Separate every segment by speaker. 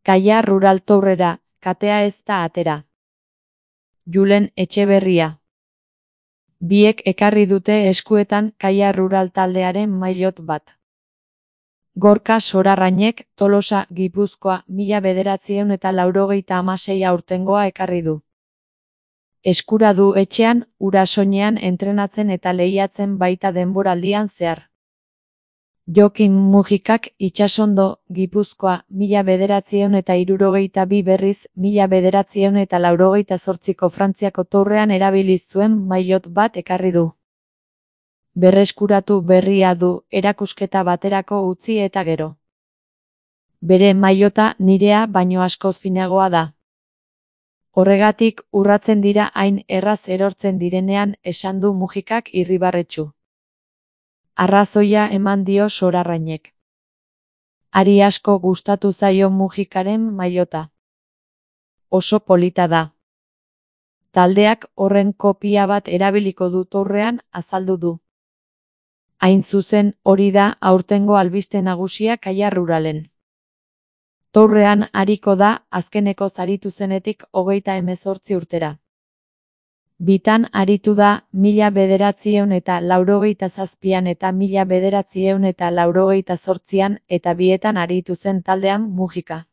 Speaker 1: Kaia Rural Tourera, katea ez da atera. Julen Etxeberria. Biek ekarri dute eskuetan Kaia Rural taldearen maillot bat. Gorka Sorarrainek, Tolosa, Gipuzkoa, 1986 aurtengoa ekarri du. Eskura du etxean, Urasoinean entrenatzen eta lehiatzen baita denboraldian zehar. Jokin Mujikak, Itsasondo, Gipuzkoa, 1962 berriz, 1988ko Frantziako Tourrean erabili zuen maillot bat ekarri du. Berreskuratu berria du, erakusketa baterako utzi eta gero. Bere maillota nirea baino askoz finagoa da. Horregatik urratzen dira hain erraz erortzen direnean, esan du Mujikak irribarretsu. Arrazoia eman dio Sorarrainek. Hari asko gustatu zaio Mujikaren maillota. Oso polita da. Taldeak horren kopia bat erabiliko du Tourrean, azaldu du. Hain zuzen, hori da aurtengo albiste nagusia Kaia Ruralen. Tourrean ariko da, azkeneko aritu zenetik 38 urtera. Bitan aritu da, 1987an eta 1988an eta bietan aritu zen taldean Mujika.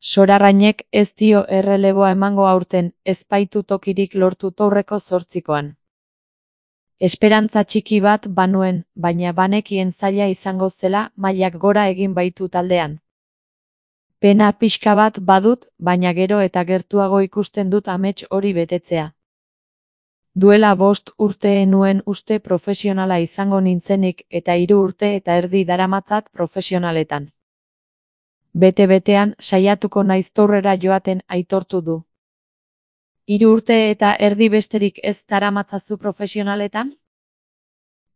Speaker 1: Sorarrainek ez dio erreleboa emango aurten, ez baitu tokirik lortu Tourreko 8koan. Esperantza txiki bat banuen, baina banekien zaila izango zela, mailak gora egin baitu taldean. Pena pixka bat badut, baina gero eta gertuago ikusten dut amets hori betetzea. Duela 5 urte nuen uste profesionala izango nintzenik eta 3 urte eta erdi daramatzat profesionaletan. Bete-betean saiatuko naiz Tourrera joaten aitortu du. 3 urte eta erdi besterik ez daramatzazu profesionaletan?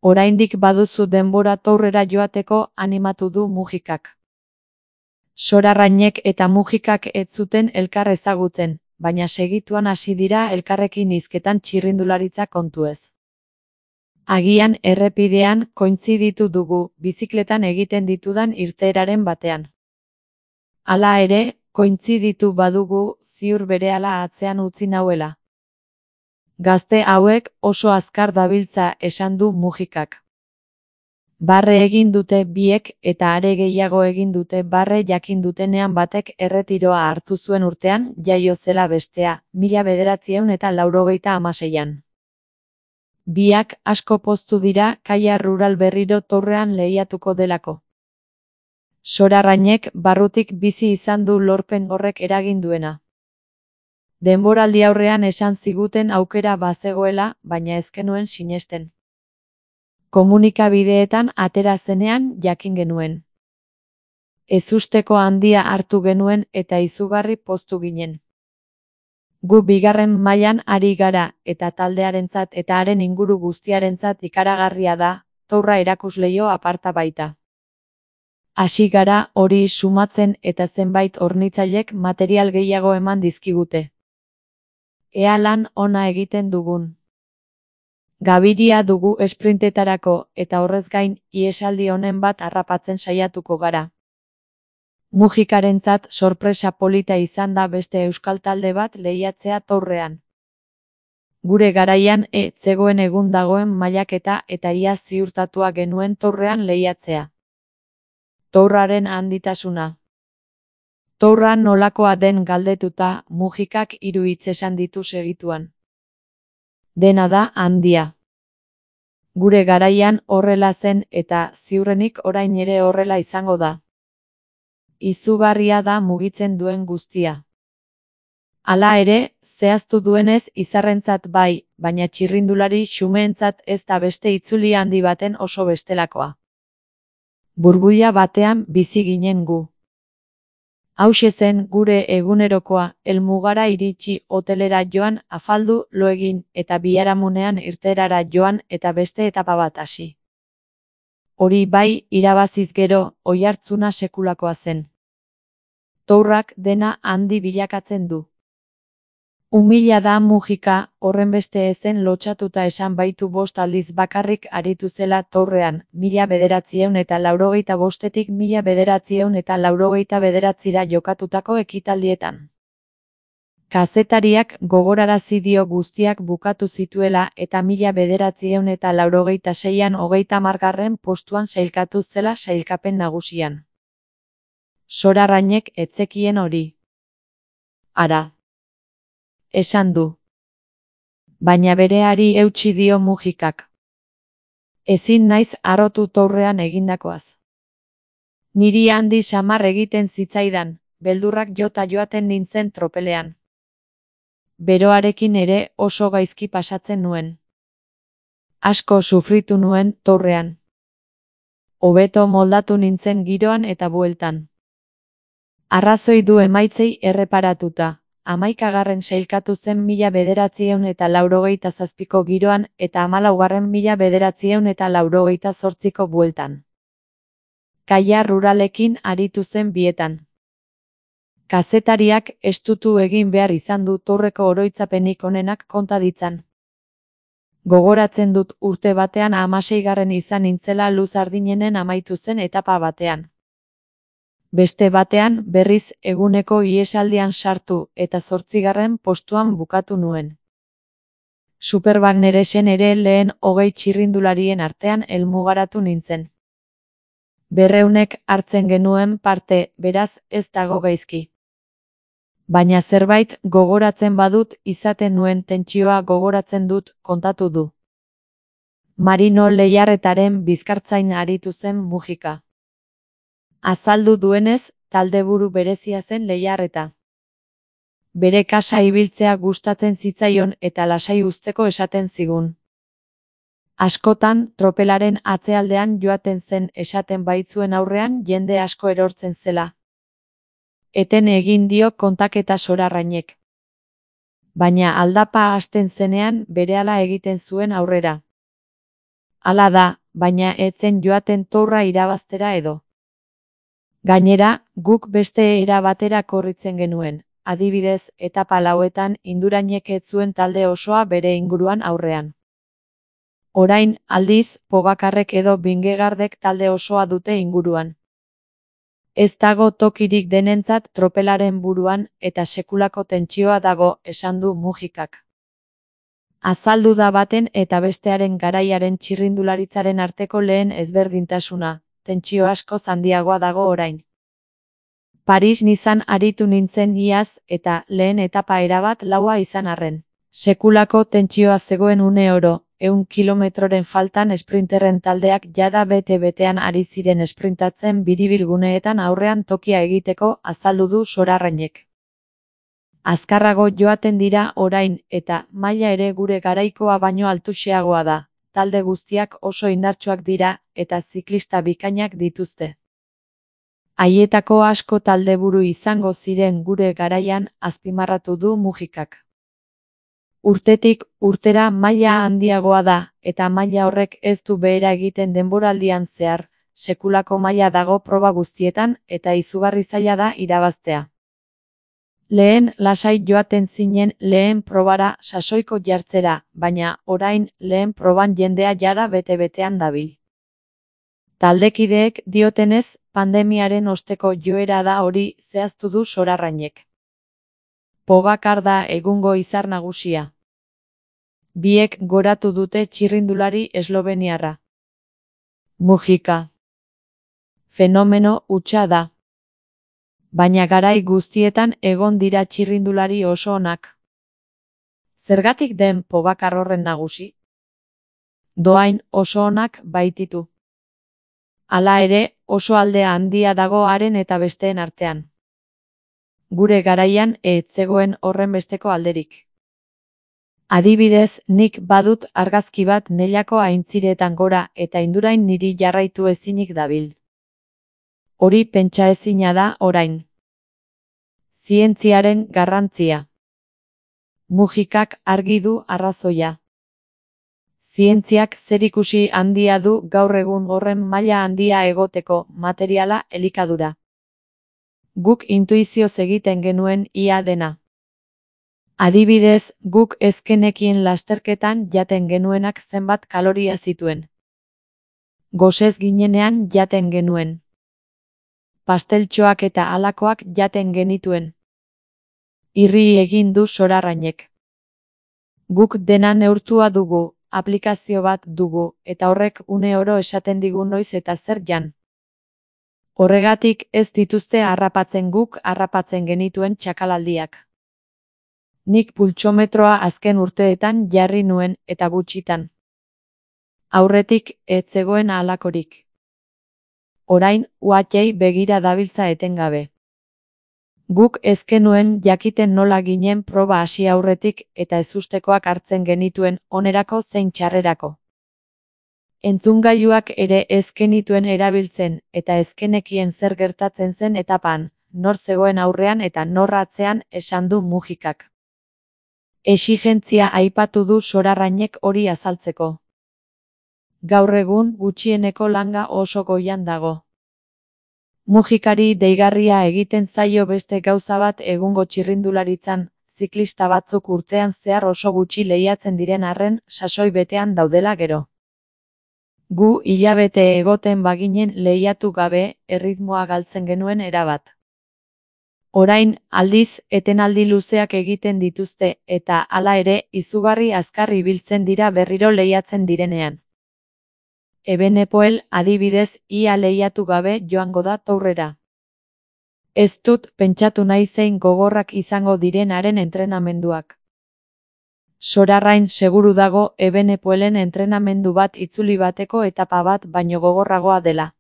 Speaker 1: Oraindik baduzu denbora Tourrera joateko, animatu du Mujikak. Sorarrainek eta Mujikak ez zuten elkar ezagutzen, baina segituan hasi dira elkarrekin hizketan txirrindularitza kontuez. Agian errepidean kointziditu dugu, bizikletan egiten ditudan irteeraren batean. Hala ere, kointziditu badugu, ziur berehala atzean utzi nauela. Gazte hauek oso azkar dabiltza, esan du Mujikak. Barre egin dute biek eta are gehiago egin dute barre jakin dutenean batek erretiroa hartu zuen urtean, jaio zela bestea, 1986an. Biak asko poztu dira Kaia Rural berriro Tourrean lehiatuko delako. Sorarrainek barrutik bizi izan du lorpen horrek eragin duena. Denboraldi aurrean esan ziguten aukera bazegoela, baina ez genuen sinesten. Komunikabideetan atera zenean jakin genuen. Ezusteko handia hartu genuen eta izugarri poztu ginen. Gu bigarren mailan ari gara eta taldearentzat eta haren inguru guztiarentzat ikaragarria da, Tourra erakusleio aparta baita. Hasi gara hori sumatzen eta zenbait hornitzailek material gehiago eman dizkigute. Ea lan ona egiten dugun. Gabiria dugu esprintetarako eta horrez gain ihesaldi honen bat harrapatzen saiatuko gara. Mujikarentzat sorpresa polita izan da beste euskal talde bat lehiatzea Tourrean. Gure garaian zegoen egun dagoen mailaketa eta ia ziurtatua genuen Tourrean lehiatzea. Tourraren handitasuna. Tourra nolakoa den galdetuta, Mujikak 3 hitz esan ditu segituan. Dena da handia. Gure garaian horrela zen eta ziurrenik orain ere horrela izango da. Izugarria da mugitzen duen guztia. Hala ere, zehaztu duenez izarrentzat bai, baina txirrindulari xumeentzat ez da beste itzuli handi baten oso bestelakoa. Burbuila batean bizi ginen gu. Hauxe zen gure egunerokoa, helmugara iritsi, hotelera joan, afaldu, lo egin, eta biharamunean irteerara joan eta beste etapa bat hasi. Hori bai, irabaziz gero, oihartzuna sekulakoa zen. Tourrak dena handi bilakatzen du. Umila da Mujika, horrenbeste ezen lotsatuta esan baitu 5 aldiz bakarrik aritu zela tourrean, 1985etik 1989ra jokatutako ekitaldietan. Kazetariak gogorarazi dio guztiak bukatu zituela eta 1986an 30. postuan sailkatu zela sailkapen nagusian. Sorarrainek ez zekien hori. Ara. Esan du. Baina bereari eutsi dio Mujikak. Ezin naiz harrotu tourrean egindakoaz. Niri handi samar egiten zitzaidan, beldurrak jota joaten nintzen tropelean. Beroarekin ere oso gaizki pasatzen nuen. Asko sufritu nuen tourrean. Hobeto moldatu nintzen giroan eta bueltan. Arrazoi du emaitzei erreparatuta. 11. sailkatu zen 1987ko giroan eta 14. 1988ko bueltan. Kaia ruralekin aritu zen bietan. Kazetariak estutu egin behar izan du tourreko oroitzapenik onenak konta ditzan. Gogoratzen dut urte batean 16. izan nintzela Luzardinenen amaitu zen etapa batean. Beste batean, berriz eguneko ihesaldian sartu eta 8. postuan bukatu nuen. Superbanneren ere lehen 20 txirrindularien artean helmugaratu nintzen. 200 hartzen genuen parte, beraz ez dago gaizki. Baina zerbait gogoratzen badut izaten nuen tentsioa gogoratzen dut, kontatu du. Marino Lehiarretaren bizkartzain aritu zen Mujika. Azaldu duenez, taldeburu berezia zen Lehiarreta. Bere kasa ibiltzea gustatzen zitzaion eta lasai uzteko esaten zigun. Askotan, tropelaren atzealdean joaten zen esaten baitzuen aurrean jende asko erortzen zela. Eten egin dio kontaketa Sorarrainek. Baina aldapa hasten zenean berehala egiten zuen aurrera. Hala da, baina ez zen joaten tourra irabaztera edo. Gainera, guk beste era batera korritzen genuen, adibidez, etapa lauetan Indurainek ez zuen talde osoa bere inguruan aurrean. Orain, aldiz, Pogacarrek edo Vingegaardek talde osoa dute inguruan. Ez dago tokirik denentzat tropelaren buruan eta sekulako tentsioa dago, esan du Mujikak. Azaldu da baten eta bestearen garaiaren txirrindularitzaren arteko lehen ezberdintasuna. Tentsio asko handiagoa dago orain. Paris-Nizan aritu nintzen iaz eta lehen etapa erabat laua izan arren. Sekulako tentsioa zegoen une oro, 100 kilometroren faltan esprinterren taldeak jada bete-betean ari ziren esprintatzen biribilguneetan aurrean tokia egiteko, azaldu du Sorarrainek. Azkarrago joaten dira orain eta maila ere gure garaikoa baino altuxeagoa da. Talde guztiak oso indartsuak dira eta ziklista bikainak dituzte. Haietako asko taldeburu izango ziren gure garaian, azpimarratu du Mujikak. Urtetik urtera maila handiagoa da eta maila horrek ez du behera egiten denboraldian zehar, sekulako maila dago proba guztietan eta izugarri zaila da irabaztea. Lehen lasai joaten zinen lehen probara sasoiko jartzera, baina orain lehen proban jendea jada bete-betean dabil. Taldekideek diotenez, pandemiaren osteko joera da hori, zehaztu du Sorarrainek. Pogacar da egungo izar nagusia. Biek goratu dute txirrindulari esloveniarra. Mujika. Fenomeno hutsa da. Baina garai guztietan egon dira txirrindulari oso onak. Zergatik den Pogacar horren nagusi? Dohain oso onak baititu. Hala ere, oso alde handia dago haren eta besteen artean. Gure garaian ez zegoen horrenbesteko alderik. Adibidez, nik badut argazki bat Nellako aintziretan gora eta Indurain niri jarraitu ezinik dabil. Hori pentsa ezina da orain. Zientziaren garrantzia. Mujikak argi du arrazoia. Zientziak zerikusi handia du gaur egun horren maila handia egoteko, materiala, elikadura. Guk intuizioz egiten genuen ia dena. Adibidez, guk ezkenekien lasterketan jaten genuenak zenbat kaloria zituen. Gosez ginenean jaten genuen. Pasteltxoak eta halakoak jaten genituen. Irri egin du Sorarrainek. Guk dena neurtua dugu, aplikazio bat dugu, eta horrek une oro esaten digu noiz eta zer jan. Horregatik ez dituzte harrapatzen guk harrapatzen genituen txakalaldiak. Nik pultsometroa azken urteetan jarri nuen eta gutxitan. Aurretik ez zegoen halakorik. Orain uhatei begira dabiltza etengabe. Guk ez genuen jakiten nola ginen proba hasi aurretik eta ezustekoak hartzen genituen onerako zein txarrerako. Entzungailuak ere ez genituen erabiltzen eta ez genekien zer gertatzen zen etapan, nor zegoen aurrean eta nor atzean, esan du Mujikak. Exigentzia aipatu du Sorarrainek hori azaltzeko. Gaur egun gutxieneko langa oso goian dago. Mujikari deigarria egiten zaio beste gauza bat egungo txirrindularitzan, ziklista batzuk urtean zehar oso gutxi lehiatzen diren arren sasoi betean daudela gero. Gu hilabete egoten baginen lehiatu gabe, erritmoa galtzen genuen erabat. Orain, aldiz, etenaldi luzeak egiten dituzte eta hala ere izugarri azkar ibiltzen dira berriro lehiatzen direnean. Evenepoel, adibidez, ia lehiatu gabe joango da tourrera. Ez dut pentsatu nahi zein gogorrak izango direnaren entrenamenduak. Sorarrain seguru dago Evenepoelen entrenamendu bat itzuli bateko etapa bat baino gogorragoa dela.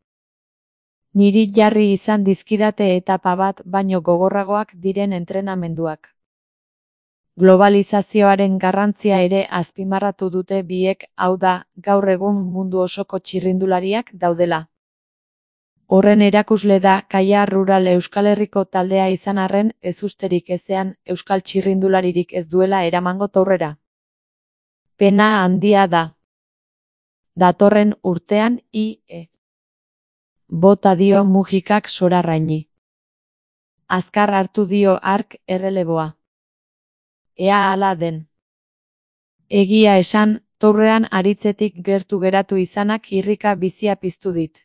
Speaker 1: Niri jarri izan dizkidate etapa bat baino gogorragoak diren entrenamenduak. Globalizazioaren garrantzia ere azpimarratu dute biek, hau da, gaur egun mundu osoko txirrindulariak daudela. Horren erakusle da Kaia Rural Euskal Herriko taldea izan arren ezusterik ezean euskal txirrindularirik ez duela eramango tourrera. Pena handia da. Datorren urtean ie. Bota dio Mujikak Sorarraini. Azkar hartu dio hark erreleboa. Ea hala den. Egia esan, tourrean aritzetik gertu geratu izanak irrika bizia piztu dit.